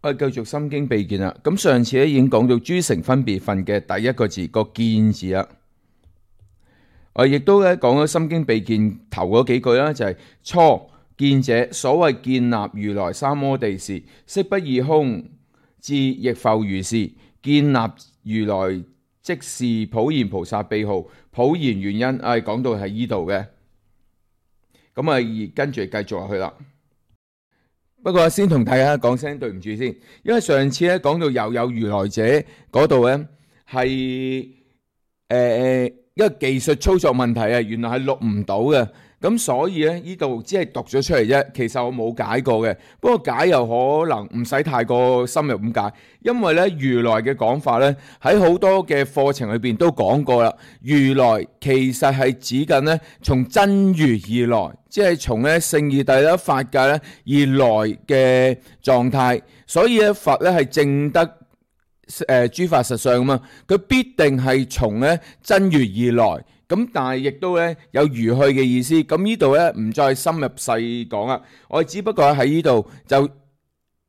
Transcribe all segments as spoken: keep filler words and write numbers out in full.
我哋繼續心經秘見啦。咁上次咧已經講到諸乘分別分嘅第一個字個見字啦。我亦都咧講咗心經秘見頭嗰幾句啦，就係、是、初見者，所謂建立如來三摩地時，色不異空，智亦復如是。建立如來即是普賢菩薩秘號，普賢原因誒講到係依度嘅。咁啊，跟住繼續落去啦。不過先同大家講聲對唔住先，因為上次咧講到又有如來者嗰度咧係誒一個技術操作問題啊，原來係錄唔到嘅，咁所以咧呢度只係讀咗出嚟啫，其實我冇解過嘅。不過解又可能唔使太過深入咁解，因為咧如來嘅講法咧喺好多嘅課程裏邊都講過啦。如來其實係指緊咧從真如而來，即係從咧聖義諦啦、法界咧而來嘅狀態，所以咧佛咧係證得誒諸法實相啊嘛，佢必定係從咧真如而來。咁但係亦都咧有如去嘅意思。咁呢度咧唔再深入細講啦，我只不過喺呢度就誒、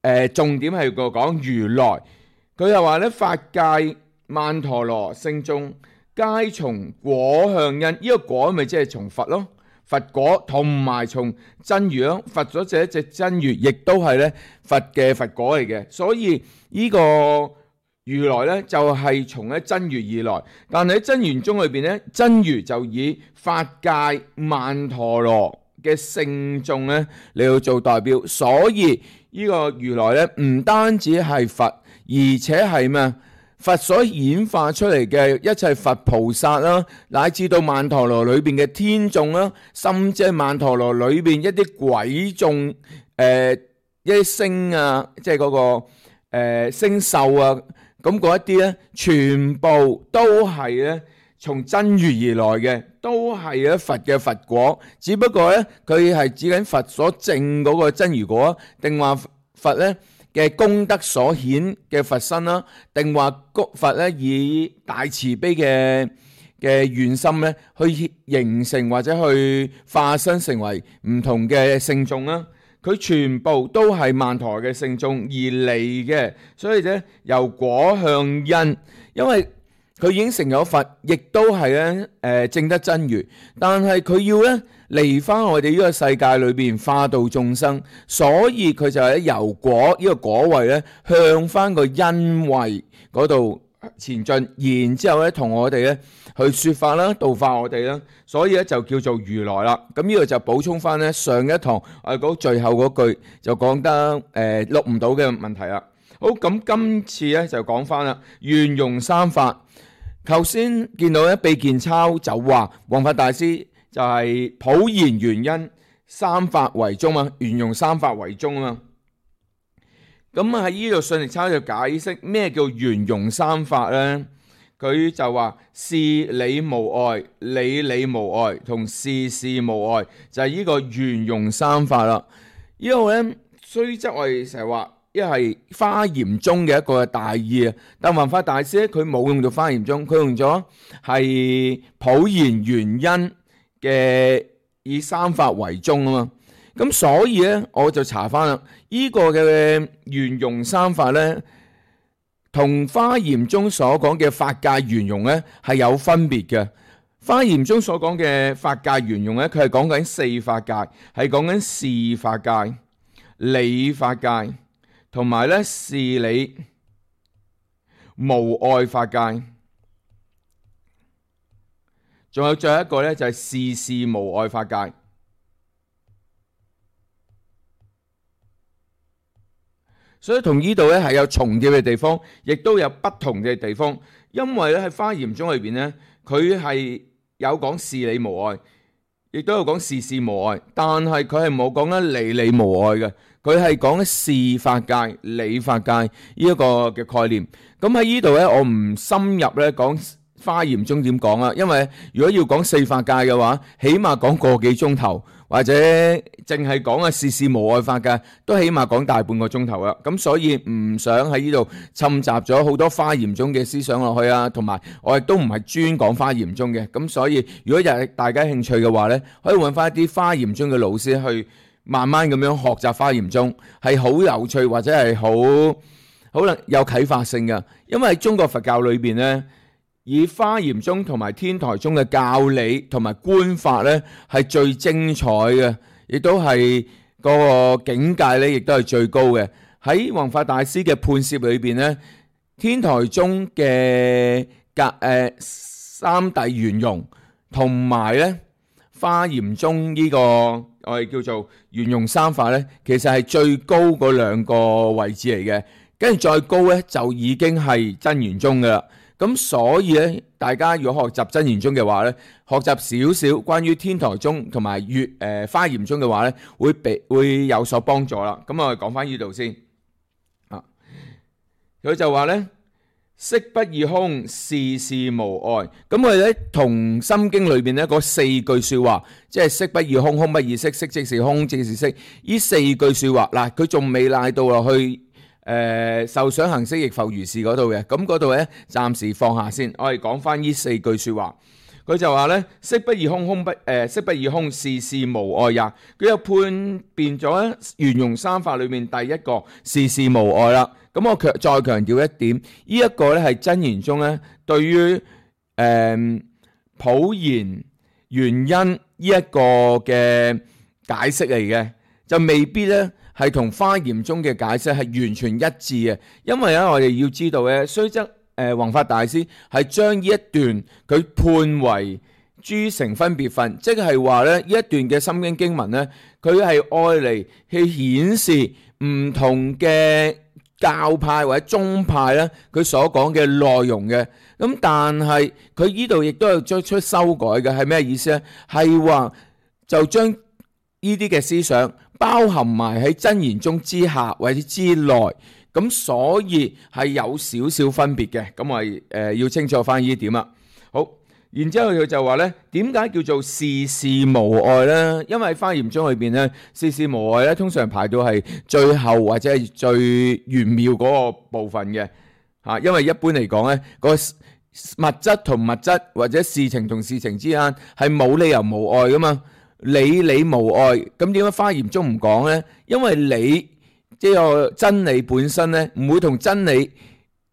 呃、重點係個講如來。佢又話咧法界曼陀羅聖眾皆從果向因，呢、這個果咪即係從佛咯，佛果同埋從真如咯，佛咗這隻真如亦都係咧佛嘅佛果嚟嘅，所以呢、這個如來咧就係從咧真如而來，但係喺真言宗裏邊咧，真如就以法界曼陀羅嘅聖眾咧嚟到做代表，所以呢個如來咧唔單止係佛，而且係咩？佛所演化出嚟嘅一切佛菩薩啦，乃至到曼陀羅裏邊嘅天眾啦，甚至係曼陀羅裏邊一啲鬼眾，誒、呃、一啲星啊，即係嗰、那個誒、呃、星宿啊。咁嗰一啲咧，全部都係咧從真如而來嘅，都係咧佛嘅佛果。只不過咧，佢係指緊佛所證嗰個真如果，定話佛咧嘅功德所顯嘅佛身啦，定話佛咧以大慈悲嘅嘅願心咧，去形成或者去化身成為唔同嘅聖眾啦。佢全部都係曼陀羅嘅聖眾而嚟嘅，所以咧由果向因，因為佢已經成咗佛，亦都係咧誒證得真如，但係佢要咧嚟翻我哋呢個世界裏邊化度眾生，所以佢就係由果呢個果位咧向翻個因位嗰度前進，然之後咧同我哋咧去說法啦，度化我哋啦，所以咧就叫做如來啦。咁呢個就補充翻咧上一堂我講最後嗰句就講得誒錄唔到嘅問題啦。好，咁今次咧就講翻啦，圓融三法。頭先見到咧秘見抄就話弘法大師就係普賢原因三法為宗啊，圓融三法為宗啊嘛。咁喺呢度信力抄就解釋咩叫圓融三法咧？佢就話事理無礙、理理無礙同事事無礙，就係呢個圓融三法啦。呢個咧雖則我哋成日話，一係華嚴宗嘅一個大意啊，但弘法大師咧佢冇用到華嚴宗，佢用咗係普賢原因嘅以三法為宗啊嘛。咁所以咧，我就查翻啦，呢個嘅圓融三法咧，同華嚴宗所講嘅法界圓融咧係有分別嘅。華嚴宗所講嘅法界圓融咧，佢係講緊四法界，係講緊事法界、理法界，同埋咧事理無礙法界，仲有最後一個咧就係事事無礙法界。所以同呢度咧係有重疊嘅地方，亦都有不同嘅地方。因為咧喺華嚴宗裏邊咧，佢係有講事理無礙，亦都有講事事無礙，但係佢係冇講緊理理無礙嘅。佢係講事法界、理法界呢一個嘅概念。咁喺呢度咧，我唔深入咧講華嚴宗點講啊，因為如果要講四法界嘅話，起碼講個幾鐘頭。或者淨係講啊事事無礙法界，都起碼講大半個鐘頭啦。咁所以唔想喺呢度侵襲咗好多華嚴宗嘅思想落去啊，同埋我亦都唔係專講華嚴宗嘅。咁所以如果有大家興趣嘅話呢，可以揾翻一啲華嚴宗嘅老師去慢慢咁樣學習華嚴宗，係好有趣或者係好可能有啟發性嘅。因為喺中國佛教裏邊咧，以華嚴宗同埋天台宗嘅教理同埋觀法咧係最精彩嘅，亦都係嗰個境界咧，亦都係最高嘅。喺弘法大師嘅判攝裏邊咧，天台宗嘅格誒三諦圓融同埋咧華嚴宗呢個我哋叫做圓融三法咧，其實係最高嗰兩個位置嚟嘅。跟住再高咧，就已經係真圓宗噶啦。咁所以咧，大家如果學習真圓宗嘅話咧，學習少少關於天台宗同埋粵誒華嚴宗嘅話咧，會俾會有所幫助啦。咁我哋講翻呢度先啊，佢就話咧，色不異空，事事無礙。咁我哋咧同心經裏邊咧嗰四句説話，即係色不異空，空不異色，色即是空，空即是色。呢四句説話嗱，佢仲未賴到落去。誒、呃、受想行識亦復如是嗰度嘅，咁嗰度咧暫時放下先，我哋講翻呢四句説話。佢就話咧，色不異空，空不誒、呃、色不異空，事事無礙也。佢又判別咗咧圓融三法裏面第一個事事無礙啦。咁我強再強調一點，呢、這、一個咧係真言中咧對於誒、呃、普賢原因呢一個嘅解釋嚟嘅，就未必咧。係同華嚴宗嘅解釋係完全一致嘅，因為咧我哋要知道咧，雖則誒弘法大師係將呢一段佢判為諸乘分別分，即係話咧呢一段嘅心經經文咧，佢係愛嚟去顯示唔同嘅教派或者宗派咧，佢所講嘅內容嘅。咁但係佢呢度亦都有作出修改嘅，係咩意思咧？係話就將呢啲嘅思想包含埋喺真言宗之下或者之內，咁所以係有少少分別嘅。咁我哋誒要清楚翻呢點啦。好，然之後佢就話咧，點解叫做事事無礙咧？因為華嚴宗裏邊咧，事事無礙咧，通常排到係最後或者係最玄妙嗰個部分嘅嚇。因為一般嚟講咧，個物質同物質或者事情同事情之間係冇理由無礙噶嘛。理理無礙，咁點解華嚴宗唔講呢？因為理即係個真理本身呢，唔會同真理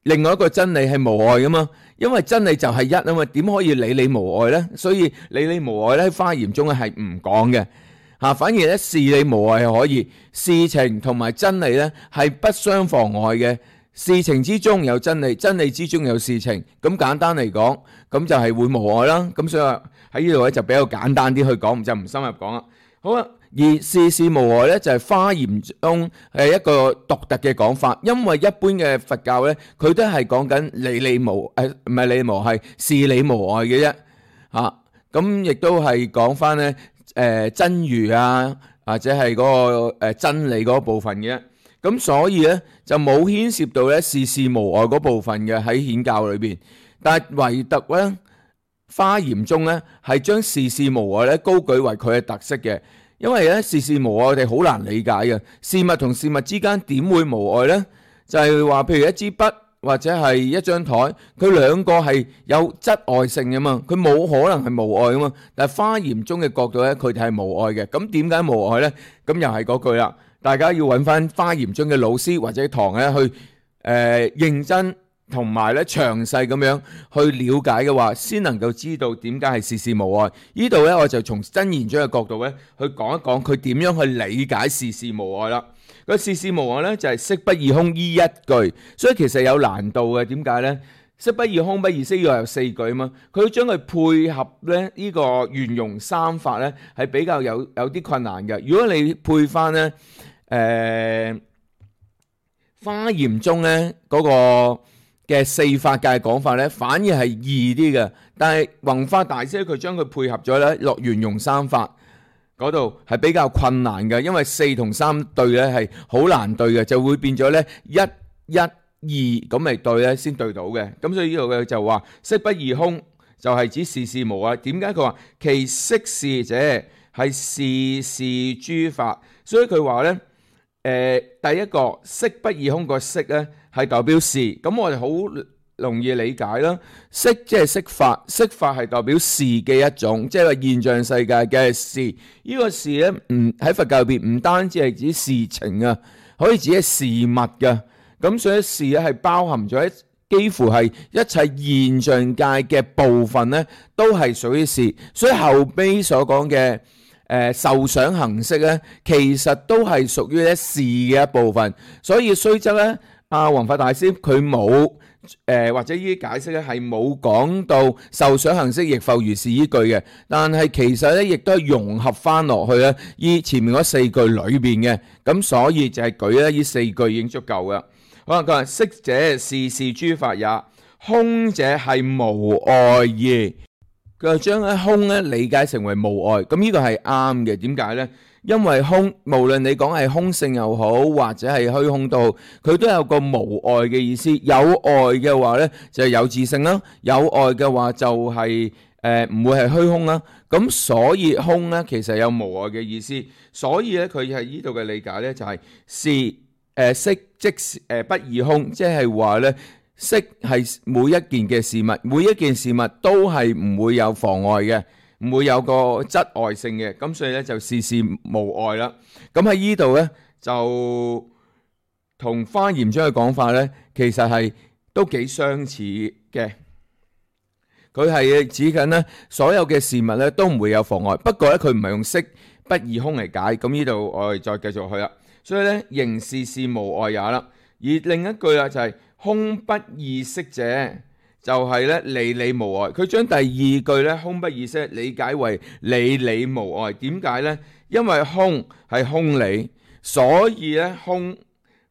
另外一個真理係無礙噶嘛。因為真理就係一啊嘛，點可以理理無礙呢？所以理理無礙咧，華嚴宗係唔講嘅嚇。反而咧，事理無礙係可以，事情同埋真理咧係不相妨礙嘅。事情之中有真理，真理之中有事情。咁簡單嚟講，咁就係會無礙啦。咁所以話喺呢度咧就比較簡單啲去講，就唔深入講啦。好啦，而事事無礙咧就係華嚴宗係一個獨特嘅講法，因為一般嘅佛教咧，佢都係講緊理理無誒，唔係理理無係事理無礙嘅啫嚇。咁亦都係講翻咧誒真如啊，或者係嗰個誒真理嗰部分嘅。咁所以咧就冇牽涉到咧事事無礙嗰部分嘅喺顯教裏邊，但係唯獨咧華嚴宗咧係將事事無礙咧高舉為佢嘅特色嘅，因為咧事事無礙我哋好難理解嘅，事物同事物之間點會無礙咧？就係話譬如一支筆或者係一張台，佢兩個係有質礙性嘅嘛，佢冇可能係無礙嘅嘛。但係華嚴宗嘅角度咧，佢哋係無礙嘅。咁點解無礙咧？咁又係嗰句啦。大家要揾翻華嚴宗嘅老師或者堂咧去誒、呃、認真同埋咧詳細咁樣去了解嘅話，先能夠知道點解係事事無礙。呢度咧我就從真言宗嘅角度咧去講一講佢點樣去理解事事無礙啦。個事事無礙咧就係、是、色不異空依一句，所以其實有難度嘅。點解咧？色不異空不異色要有四句啊嘛，佢要將佢配合咧呢個圓融三法咧係比較有有啲困難嘅。如果你配翻咧誒華嚴宗咧嗰個嘅四法界講法咧，反而係易啲嘅。但係弘法大師佢將佢配合咗咧落圓融三法嗰度係比較困難嘅，因為四同三對咧係好難對嘅，就會變咗咧一一二咁嚟對咧先對到嘅。咁所以呢度嘅就話色不異空就係指事事無礙。點解佢話其色事者係事事諸法？所以佢話咧誒第一個色不異空個色咧係代表事。咁我哋好容易理解啦。色即係色法，色法係代表事嘅一種，即係話現象世界嘅事。呢、這個事咧，唔喺佛教入邊唔單止係指事情啊，可以指係事物噶。咁所以事咧係包含咗幾乎係一切現象界嘅部分咧，都係屬於事。所以後邊所講嘅誒受想行識咧，其實都係屬於咧事嘅一部分。所以雖則咧，阿弘法大師佢冇誒或者呢啲解釋咧係冇講到受想行識亦復如是依句嘅，但係其實咧亦都係融合翻落去咧依前面嗰四句裏邊嘅。咁所以就係舉咧呢四句已經足夠噶。好啦，佢話色者事事諸法也，空者係無礙義。佢就將咧空咧理解成為無礙，咁呢個係啱嘅。點解呢？因為空無論你講係空性又好，或者係虛空都好，佢都有個無礙嘅意思。有礙嘅話呢，就係有自性啦；有礙嘅話就係誒唔會係虛空啦。咁所以空呢，其實有無礙嘅意思。所以咧佢係呢度嘅理解呢，就係是誒色即誒不異空，即係話呢。色係每一件嘅事物，每一件事物都係唔會有妨礙嘅，唔會有個質礙性嘅，咁所以咧就事事無礙啦。咁喺呢度咧就同華嚴經嘅講法咧，其實係都幾相似嘅。佢係指緊咧所有嘅事物咧都唔會有妨礙，不過咧佢唔係用色不異空嚟解。咁呢度我哋再繼續去啦。所以咧仍事事無礙也啦。而另一句啦就係、是。空不異色者就係咧理理無礙，佢將第二句咧空不異色理解為理理無礙。點解呢？因為空係空理，所以咧空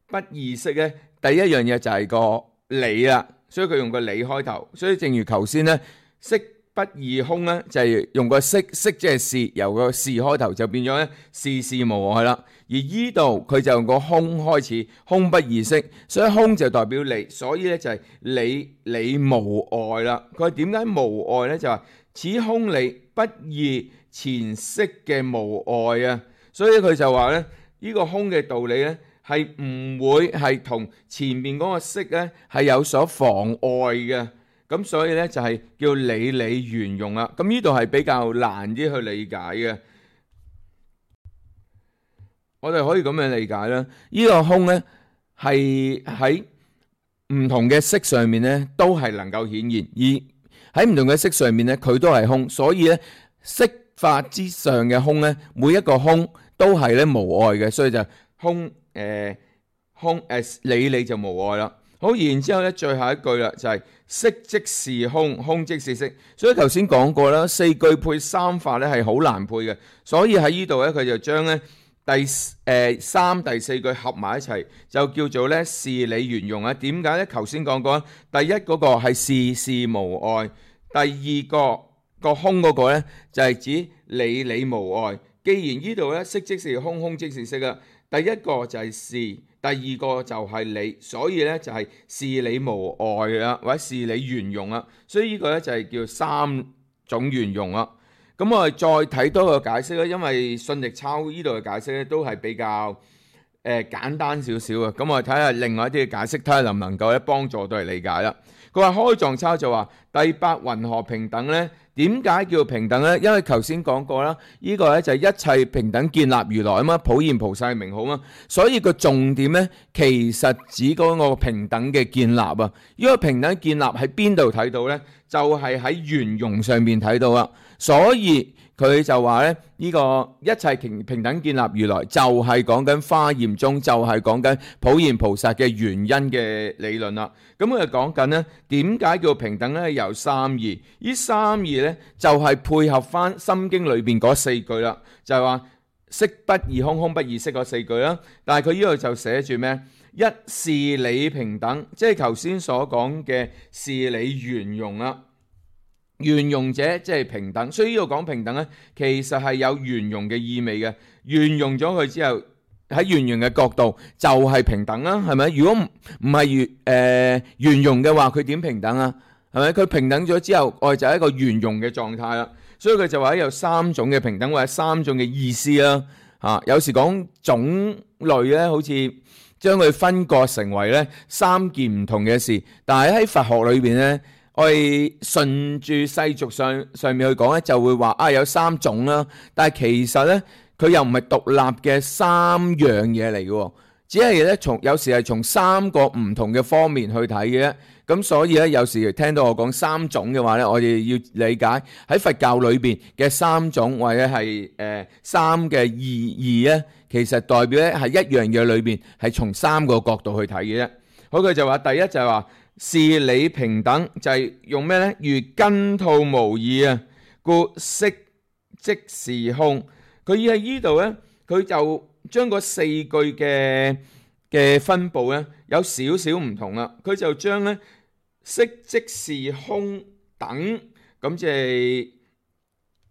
不異色咧第一樣嘢就係個理啦，所以佢用個理開頭。所以正如頭先咧色不異空咧就係用個色，色即係事，由個事開頭就變咗咧事事無礙啦。而依度佢就用個空開始，空不異色，所以空就代表理，所以咧就係理理無礙啦。佢話點解無礙咧？就話此空理不異前色嘅無礙啊，所以佢就話咧呢個空嘅道理咧係唔會係同前面嗰個色咧係有所妨礙嘅。咁所以咧就係叫理理圓融啦。咁呢度係比較難啲去理解嘅。我哋可以咁樣理解啦，呢個空咧係喺唔同嘅色上面咧都係能夠顯現，而喺唔同嘅色上面咧佢都係空，所以咧色法之上嘅空咧每一個空都係咧無礙嘅，所以就空誒空誒理理就無礙啦。好，然之後咧最後一句啦就係色即是空，空即是色。所以頭先講過啦，四句配三法咧係好難配嘅，所以喺呢度咧佢就將咧。第誒、呃、三第四句合埋一齊，就叫做咧事理圓融啊。點解咧？頭先講過，第一嗰個係事事無礙，第二個個空嗰個咧就係、是、指理理無礙。既然呢度咧色即是空，空即是色啊，第一個就係事，第二個就係理，所以咧就係事理無礙啊，或者事理圓融啊。所以呢個咧就係叫三種圓融啊。咁我哋再睇多個解釋啦，因為信力抄呢度嘅解釋咧都係比較誒、呃、簡單少少嘅。咁我哋睇下另外一啲嘅解釋，睇下能唔能夠咧幫助到嚟理解啦。佢話開藏抄就話第八云何平等呢？點解叫平等呢？因為頭先講過啦，呢、這個咧就係一切平等建立如來啊嘛，普現菩薩嘅名號啊嘛，所以個重點咧其實指嗰個平等嘅建立啊。呢、這個平等建立喺邊度睇到呢？就係喺圓融上面睇到啦。所以佢就話咧，呢、這個一切平平等建立如來就係講緊華嚴中，就係講緊普現菩薩嘅原因嘅理論啦。咁佢就講緊呢點解叫平等呢？由三義，呢三義呢就係配合翻心經裏邊嗰四句啦，就係話色不異空，空不異色嗰四句啦。但係佢呢度就寫住咩？一事理平等，即係頭先所講嘅事理圓融啦。圓融者即係平等，所以呢度講平等咧，其實係有圓融嘅意味嘅。圓融咗佢之後，喺圓融嘅角度就係平等啦，係咪？如果唔唔係圓誒圓融嘅話，佢點平等啊？係咪？佢平等咗之後，我哋就係一個圓融嘅狀態啦。所以佢就話有三種嘅平等或者三種嘅意思啦。嚇、啊，有時講種類咧，好似將佢分割成為咧三件唔同嘅事。但係喺佛學裏邊咧，我哋順住世俗上上面去講咧，就會話啊有三種啦。但係其實咧，佢又唔係獨立嘅三樣嘢嚟嘅，只係咧從有時係從三個唔同嘅方面去睇嘅。咁所以咧，有時聽到我講三種嘅話咧，我哋要理解喺佛教裏邊嘅三種或者係誒、呃、三嘅意義咧，其實代表咧係一樣嘢裏邊係從三個角度去睇嘅啫。好，佢就話第一就係話事理平等，就係、是、用咩咧？如根吐無異啊，故色即是空。佢喺呢度咧，佢就將嗰四句嘅嘅分佈咧有少少唔同啦。佢就將咧色即是空等，咁即係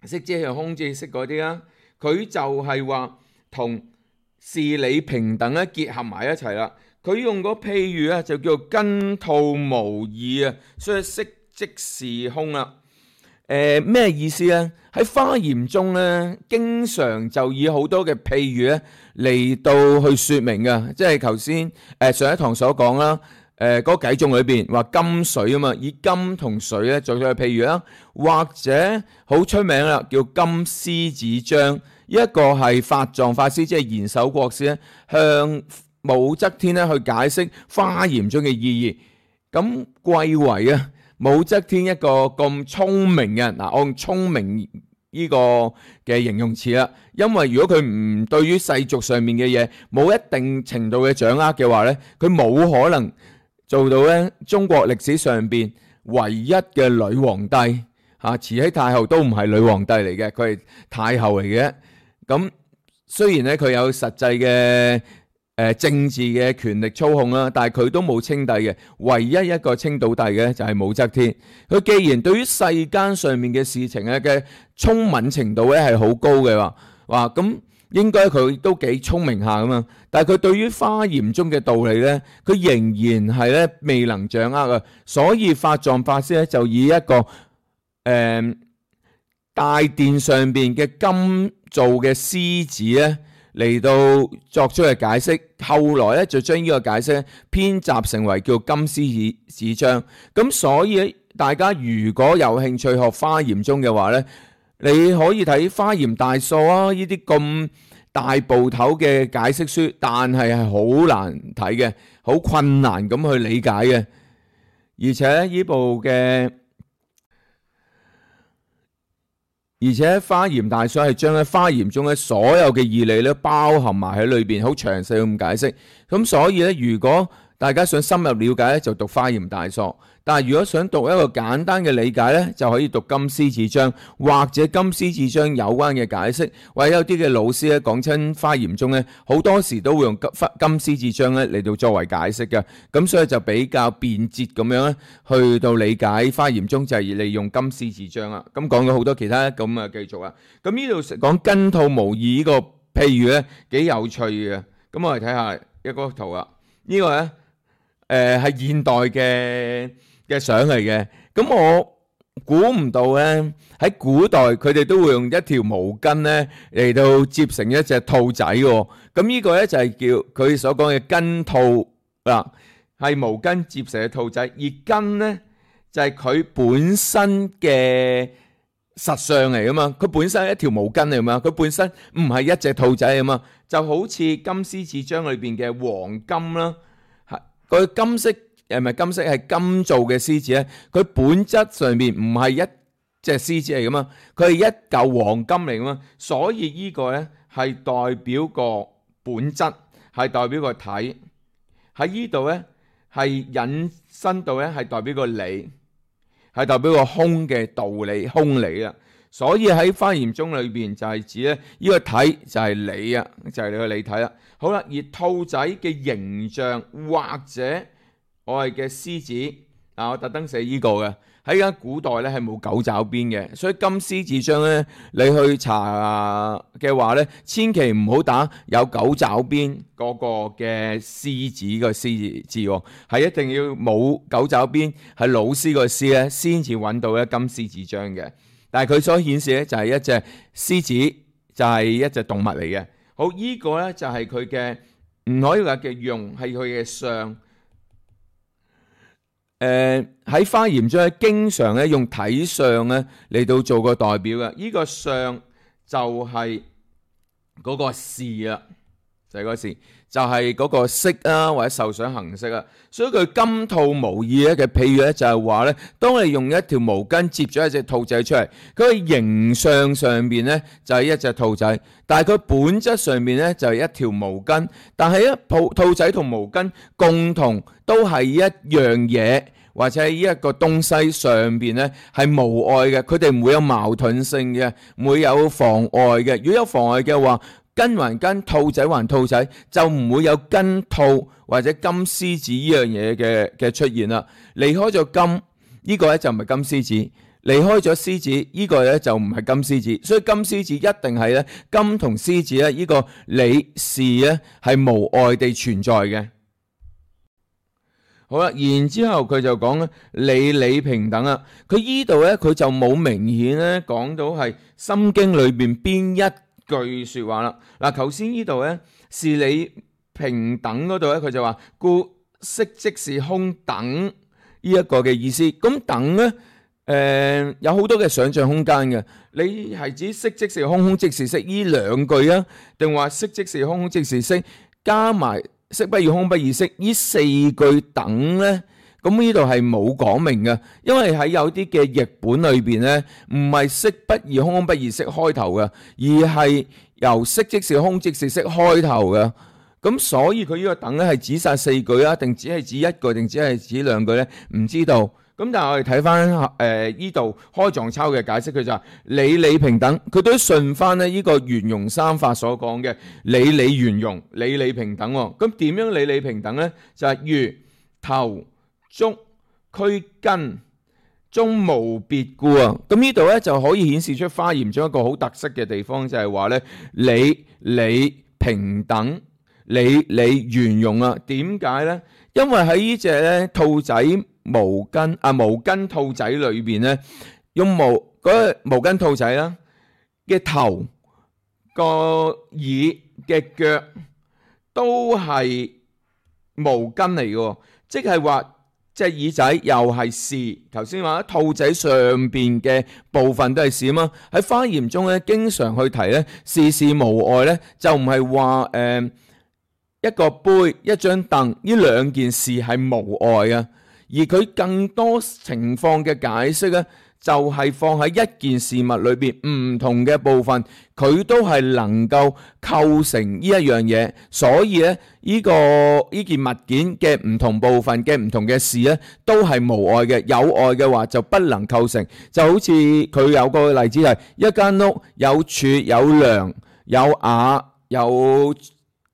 色即係空，即係色嗰啲啦。佢就係話同事理平等咧結合埋一齊啦。佢用個譬喻啊，就叫做根吐無異啊，所以色即是空啦。誒、呃、咩意思咧？喺華嚴中咧，經常就以好多嘅譬喻咧嚟到去説明嘅，即係頭先誒上一堂所講啦。誒嗰偈頌裏邊話金水啊嘛，以金同水咧做咗個譬喻啦，或者好出名啦，叫金獅子章。一個係法藏法師，即係賢首國師咧，向武則天咧去解釋華嚴中嘅意義。咁貴為啊武則天一個咁聰明嘅，嗱，我用聰明呢個嘅形容詞啦，因為如果佢唔對於世俗上面嘅嘢冇一定程度嘅掌握嘅話咧，佢冇可能做到咧中國歷史上邊唯一嘅女皇帝嚇，慈禧太后都唔係女皇帝嚟嘅，佢係太后嚟嘅。咁雖然咧佢有實際嘅誒政治嘅權力操控啦，但係佢都冇稱帝嘅，唯一一個稱到帝嘅就係武則天。佢既然對於世間上面嘅事情咧嘅聰敏程度咧係好高嘅話，話咁。應該佢都幾聰明下噶嘛，但係佢對於華嚴中嘅道理咧，佢仍然係咧未能掌握啊。所以法藏法師咧就以一個誒、呃、大殿上邊嘅金做嘅獅子咧嚟到作出嘅解釋，後來咧就將呢個解釋編集成為叫金獅子章。咁所以大家如果有興趣學華嚴中嘅話咧，你可以睇《華嚴大疏》啊，呢啲咁大部頭嘅解釋書，但係係好難睇嘅，好困難咁去理解嘅。而且呢部嘅，而且《華嚴大疏》係將喺華嚴中嘅所有嘅義理咧包含埋喺裏邊，好詳細咁解釋。咁所以咧，如果大家想深入了解咧，就讀《華嚴大疏》。但係如果想讀一個簡單嘅理解咧，就可以讀金獅子章，或者金獅子章有關嘅解釋，或者有啲嘅老師咧講親華嚴中咧，好多時都會用金金獅子章咧嚟到作為解釋嘅，咁所以就比較便捷咁樣咧去到理解華嚴中就係利用金獅子章啦。咁講咗好多其他，咁啊繼續啦。咁呢度講根吐無異呢個譬喻咧幾有趣嘅，咁我哋睇下一個圖啦。呢個咧誒係現代嘅嘅相嚟嘅，咁我估唔到咧喺古代佢哋都會用一條毛巾咧嚟到接成一隻兔仔喎。咁呢個咧就係叫佢所講嘅根吐啦，係毛巾接成嘅兔仔，而根咧就係佢本身嘅實相嚟噶嘛，佢本身係一條毛巾嚟嘛，佢本身唔係一隻兔仔啊嘛，就好似金獅子章裏邊嘅黃金啦，係個金色。誒唔係金色，係金做嘅獅子咧。佢本質上面唔係一隻獅子嚟噶嘛，佢係一嚿黃金嚟噶嘛。所以呢個咧係代表個本質，係代表個體。喺呢度咧係引申到咧係代表個理，係代表個空嘅道理、空理啊。所以喺華嚴中裏邊就係指咧呢個體就係理啊，就係你個理體啦。好啦，而兔仔嘅形象或者我係嘅獅子啊！我特登寫呢個嘅，喺而家古代咧係冇九爪邊嘅，所以金獅子章咧你去查嘅話咧，千祈唔好打有九爪邊嗰個嘅獅子個獅字喎，係一定要冇九爪邊，係老師個獅咧先至揾到咧金獅子章嘅。但係佢所顯示咧就係一隻獅子，就係一隻動物嚟嘅。好，呢個咧就係佢嘅唔可以話嘅用，係佢嘅相。誒喺花鹽中咧，經常咧用睇相咧嚟到做個代表嘅。呢個相就係嗰個事啦，就係嗰個事，就係嗰個色啊，或者受想行識啊。所以佢金兔無義咧嘅譬喻咧，就係話咧，當你用一條毛巾接咗一隻兔仔出嚟，佢嘅形象上邊咧就係一隻兔仔，但係佢本質上面咧就係一條毛巾。但係一兔兔仔同毛巾共同都係一樣嘢，或者喺呢一個東西上邊咧係無礙嘅，佢哋唔會有矛盾性嘅，唔會有妨礙嘅。如果有妨礙嘅話，根還根，兔仔還兔仔，就唔會有根兔或者金獅子呢樣嘢嘅嘅出現啦。離開咗金，呢個咧就唔係金獅子；離開咗獅子，呢個咧就唔係金獅子。所以金獅子一定係咧金同獅子咧呢個理事咧係無礙地存在嘅。好啦，然之後佢就講咧理理平等啊。佢依度咧佢就冇明顯咧講到係心經裏邊邊一句說話啦。嗱，頭先呢度咧是理平等嗰度咧，佢就話故色即是空等呢一個嘅意思。咁等咧，誒、呃、有好多嘅想象空間嘅。你係指色即是空，空即是色呢兩句啊，定話色即是空，空即是色加埋色不異空不異色呢四句等咧？咁呢度係冇講明嘅，因為喺有啲嘅譯本裏邊咧，唔係色不異空，空不異色開頭嘅，而係由色即是空即是色開頭嘅。咁所以佢呢個等咧係指晒四句啊，定只係指一句，定只係指兩句咧？唔知道。咁但係我哋睇翻誒呢度開藏抄嘅解釋，佢就係理理平等，佢都順翻咧呢個圓融三法所講嘅理理圓融、理理平等。咁點樣理理平等咧？就係、是、如頭足軀根中無別故啊！咁呢度咧就可以顯示出華嚴中一個好特色嘅地方，就係話咧理理平等、理理圓融啊！點解咧？因為喺呢隻咧兔仔毛巾啊毛巾兔仔裏邊咧，用毛嗰個毛巾兔仔啦嘅頭、個耳嘅腳都係毛巾嚟嘅，即係話隻耳仔又係事。頭先話兔仔上邊嘅部分都係事啊嘛。喺華嚴中咧，經常去提咧事事無礙咧，就唔係話誒一個杯、一張凳呢兩件事係無礙嘅。而佢更多情況嘅解釋咧，就係放喺一件事物裏邊唔同嘅部分，佢都係能夠構成呢一樣嘢。所以咧，呢個呢件物件嘅唔同部分嘅唔同嘅事咧，都係無礙嘅。有礙嘅話就不能構成。就好似佢有個例子係一間屋有柱、有梁、有瓦、有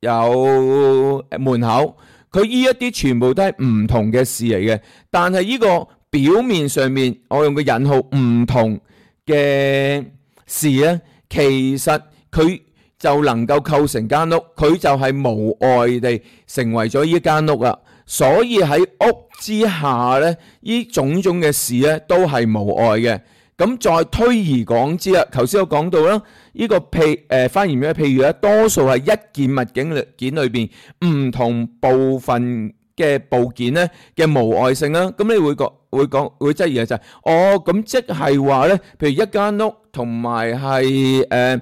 有門口。佢呢一啲全部都係唔同嘅事嚟嘅，但係呢個表面上面，我用個引號唔同嘅事咧，其實佢就能夠構成間屋，佢就係無礙地成為咗呢間屋啦。所以喺屋之下咧，呢種種嘅事咧都係無礙嘅。咁再推而廣之啦，頭先我講到啦，呢個譬誒華嚴嘅譬如咧，多數係一件物件裏件裏邊唔同部分嘅部件咧嘅無礙性啦。咁你會講會講會質疑嘅就係，哦咁即係話咧，譬如一間屋同埋係誒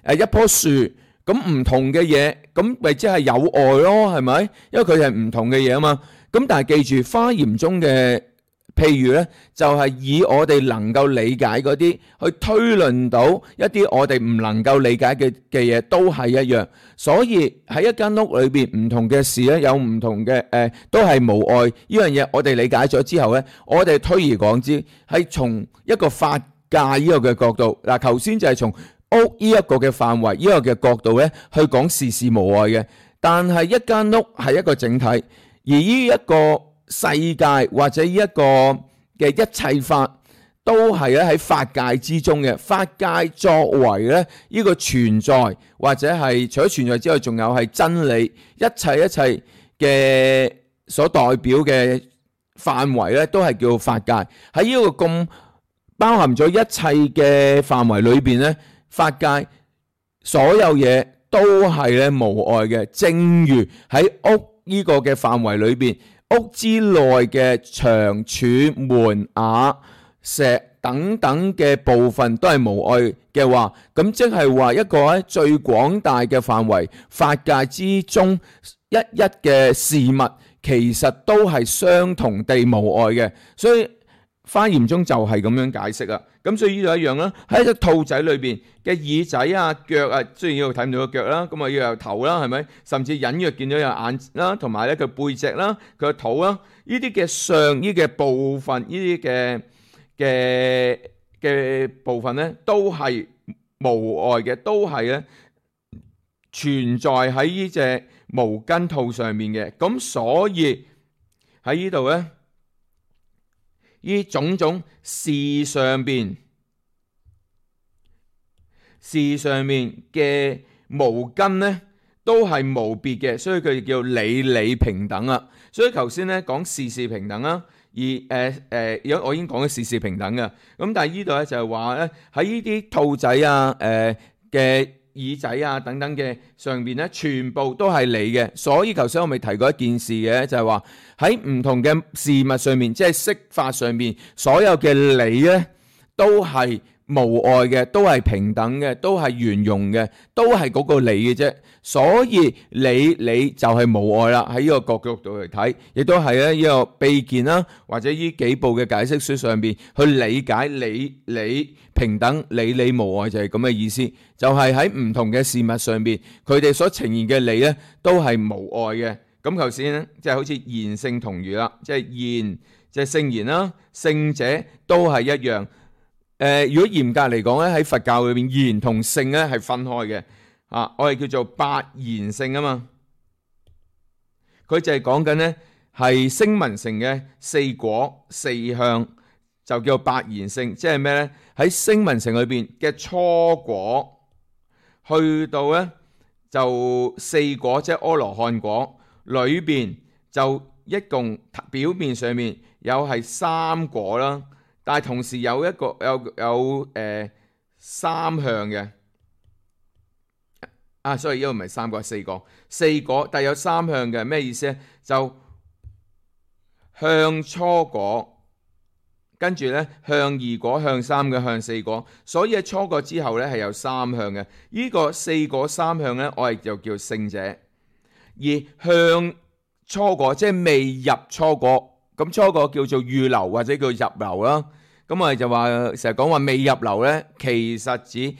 誒一棵樹，咁唔同嘅嘢，咁咪即係有礙咯，係咪？因為佢係唔同嘅嘢啊嘛。咁但係記住華嚴中嘅譬如咧，就係以我哋能夠理解嗰啲，去推論到一啲我哋唔能夠理解嘅嘅嘢，都係一樣。所以喺一間屋裏邊唔同嘅事咧，有唔同嘅誒，都係無礙呢樣嘢。我哋理解咗之後咧，我哋推而廣之，係從一個法界呢個嘅角度。嗱，頭先就係從屋呢一個嘅範圍呢個嘅角度咧，去講事事無礙嘅。但係一間屋係一個整體，而呢一個世界或者呢一個嘅一切法都係咧喺法界之中嘅。法界作為咧呢個存在，或者係除咗存在之外，仲有係真理，一切一切嘅所代表嘅範圍咧，都係叫法界。喺呢個咁包含咗一切嘅範圍裏邊咧，法界所有嘢都都係咧無礙嘅。正如喺屋呢個嘅範圍裏邊，屋之內嘅牆柱、門瓦、石等等嘅部分都係無礙嘅話，咁即係話一個喺最廣大嘅範圍法界之中，一一嘅事物其實都係相同地無礙嘅。所以花嚴中就係咁樣解釋啊。咁所以呢度一樣啦，喺隻兔仔裏邊嘅耳仔啊、腳啊，雖然呢度睇唔到個腳啦，咁啊要有頭啦，係咪？甚至隱約見到有眼啦，同埋咧佢背脊啦、佢個肚啦，呢啲嘅上呢嘅部分，呢啲嘅嘅嘅部分咧，都係無礙嘅，都係咧存在喺呢隻無根兔上面嘅。咁所以喺呢度咧，呢種種事上邊事上面嘅無根咧，都係無別嘅，所以佢叫理理平等啊。所以頭先咧講事事平等啦，而誒誒，有、呃、我已經講咗事事平等嘅。咁但係呢度咧就係話咧喺呢啲兔仔啊、誒嘅耳仔啊等等嘅上邊咧，全部都係理嘅。所以頭先我咪提過一件事嘅，就係話喺唔同嘅事物上面，即係釋法上面，所有嘅理咧都係無礙嘅，都係平等嘅，都係圓融嘅，都係嗰個理嘅啫。所以理理就係無礙啦。喺呢個角度嚟睇，亦都係咧呢個秘見啦，或者呢幾部嘅解釋書上邊去理解理理平等、理理無礙就係咁嘅意思。就係喺唔同嘅事物上邊，佢哋所呈現嘅理咧都係無礙嘅。咁頭先咧即係好似言聖同如啦，即係言即係聖言啦，聖者都係一樣。誒、呃，如果嚴格嚟講咧，喺佛教裏邊，言同聖咧係分開嘅。啊，我哋叫做八言聖啊嘛。佢就係講緊咧係聲聞乘嘅四果四向，就叫八言聖。即係咩咧？喺聲聞乘裏邊嘅初果，去到咧就四果，即係阿羅漢果裏邊，就一共表面上面有係三果啦。但係同時有一個有有誒、呃、三向嘅啊，所以呢個唔係三個，係四個四個，但係有三向嘅咩意思咧？就向初果，跟住咧向二果、向三嘅、向四果，所以喺初果之後咧係有三向嘅。呢、這個四果三向咧，我哋就叫聖者。而向初果即係未入初果，咁初果叫做預流或者叫入流啦。咁我哋就話成日講話未入流咧，其實指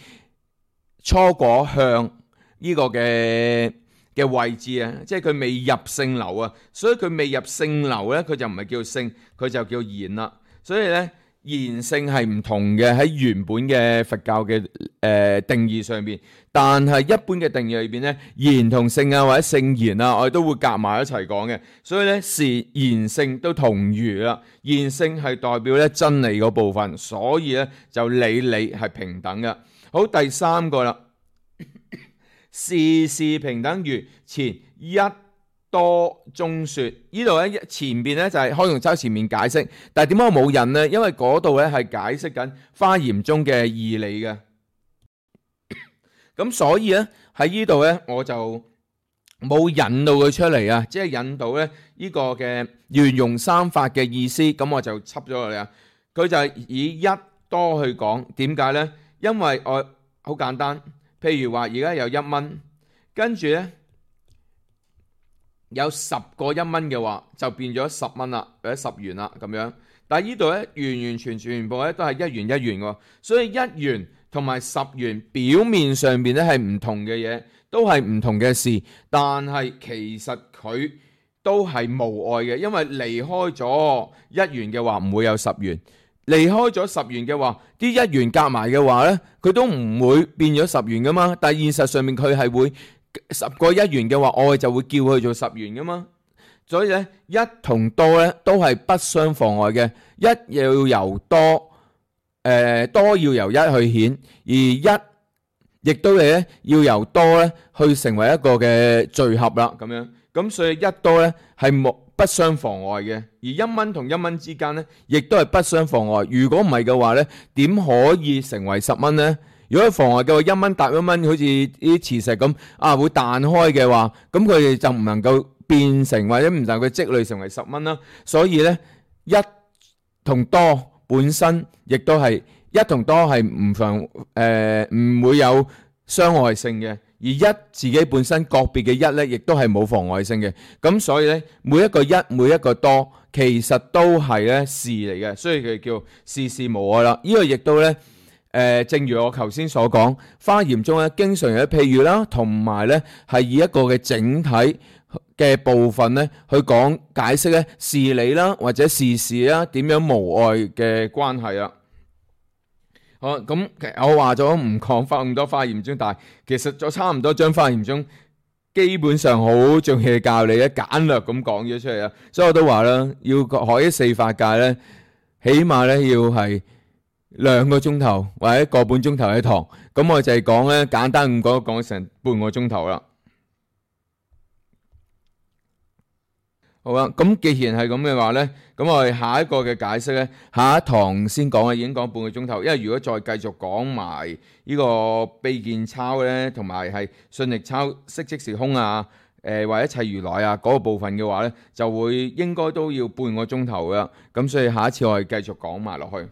初果向呢個嘅嘅位置啊，即係佢未入聖流啊，所以佢未入聖流咧，佢就唔係叫聖，佢就叫言啦。所以咧，言聖係唔同嘅喺原本嘅佛教嘅誒、呃、定義上邊，但係一般嘅定義裏邊咧，言同聖啊或者聖言啊，我哋都會夾埋一齊講嘅。所以咧，是言聖都同如啦。言聖係代表咧真理嗰部分，所以咧就理理係平等嘅。好，第三個啦。事事平等如前一多中說，呢度咧前邊咧就係開容洲前面解釋，但係點解我冇引呢？因為嗰度咧係解釋緊華嚴中嘅義理嘅，咁所以咧喺呢度咧我就冇引到佢出嚟啊，即係引到咧呢個嘅圓融三法嘅意思，咁我就輯咗落嚟啊。佢就係以一多去講，點解咧？因為我好簡單。譬如話而家有一蚊，跟住咧有十個一蚊嘅話，就變咗十蚊啦，或者十元啦咁樣。但係呢度咧完完全全部咧都係一元一元喎，所以一元同埋十元表面上邊咧係唔同嘅嘢，都係唔同嘅事，但係其實佢都係無礙嘅，因為離開咗一元嘅話唔會有十元。離開咗十元嘅話，啲一元夾埋嘅話呢，佢都唔會變咗十元噶嘛。但係現實上面佢係會十個一元嘅話，我哋就會叫佢做十元噶嘛。所以呢，一同多呢都係不相妨礙嘅。一要由多，誒、呃、多要由一去顯，而一亦都係要由多呢去成為一個嘅聚合啦。咁樣咁所以一多呢係冇不相妨礙嘅，而一蚊同一蚊之間呢，亦都係不相妨礙。如果唔係嘅話呢，點可以成為十蚊呢？如果妨礙嘅話，一蚊搭一蚊，好似啲磁石咁啊，會彈開嘅話，咁佢哋就唔能夠變成或者唔能夠積累成為十蚊啦。所以咧，一同多本身亦都係一同多係唔妨誒唔會有傷害性嘅，而一自己本身個別嘅一咧，亦都係冇妨礙性嘅。咁所以咧，每一個一每一個多，其實都係咧事嚟嘅，所以佢叫事事無礙啦。呢個亦都咧。誒、呃，正如我頭先所講，花嚴中咧經常有啲譬喻啦，同埋咧係以一個嘅整體嘅部分咧去講解釋咧事理啦，或者事事啦點樣無礙嘅關係啊。好，咁我話咗唔講花咁多花嚴中，但係其實就差唔多將花嚴中基本上好重要嘅教理咧簡略咁講咗出嚟啊。所以我都話啦，要學啲四法界咧，起碼咧要係兩個鐘頭或者個半鐘頭一堂，咁我就係講咧簡單咁講，講成半個鐘頭啦。好啦，咁既然係咁嘅話咧，咁我哋下一個嘅解釋咧，下一堂先講啊，已經講半個鐘頭。因為如果再繼續講埋呢個秘見抄咧，同埋係信力抄色即是空啊，誒、呃、或者一切如來啊嗰、那個部分嘅話咧，就會應該都要半個鐘頭噶。咁所以下一次我哋繼續講埋落去。